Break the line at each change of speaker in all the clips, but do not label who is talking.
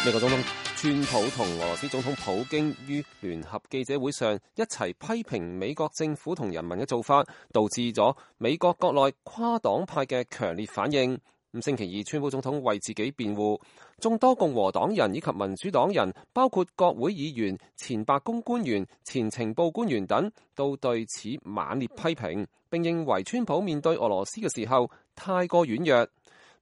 美國總統川普同俄羅斯總統普京於聯合記者會上一齊批評美國政府同人民嘅做法，導致咗美國國內跨黨派嘅強烈反應。星期二，川普總統為自己辯護，眾多共和黨人以及民主黨人，包括國會議員、前白宮官員、前情報官員等，都對此猛烈批評，並認為川普面對俄羅斯嘅時候太過軟弱。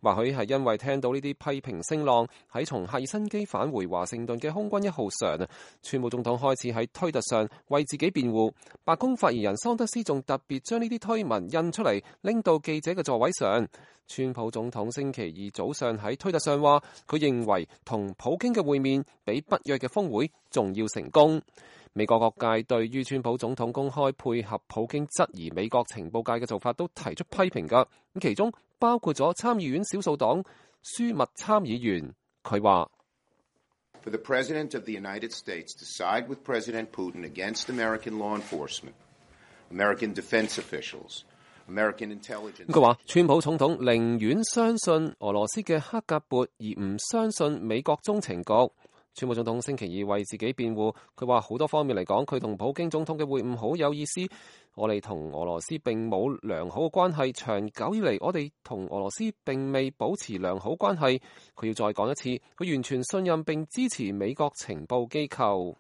或許係因為聽到呢啲批評聲浪，喺從赫爾辛基返回華盛頓嘅空軍1號上，川普總統開始喺推特上為自己辯護。白宮發言人桑德斯仲特別將呢啲推文印出嚟，拎到記者嘅座位上。川普總統星期二早上喺推特上話，佢認為同普京嘅會面比北約嘅峰會仲要成功。美國各界對於川普總統公開配合普京質疑美國情報界嘅做法都提出批評㗎，咁其中包括咗參議院少數黨舒密參議員，佢話
：For the President of the United States to side with President Putin against American law enforcement, American defense officials, American intelligence。
佢話川普總統寧願相信俄羅斯嘅黑格勃，而唔相信美國中情局。川普總統星期二為自己辯護，佢話好多方面嚟講，佢同普京總統嘅會晤好有意思。我哋同俄羅斯並冇良好嘅關係，長久以嚟我哋同俄羅斯並未保持良好關係。佢要再講一次，佢完全信任並支持美國情報機構。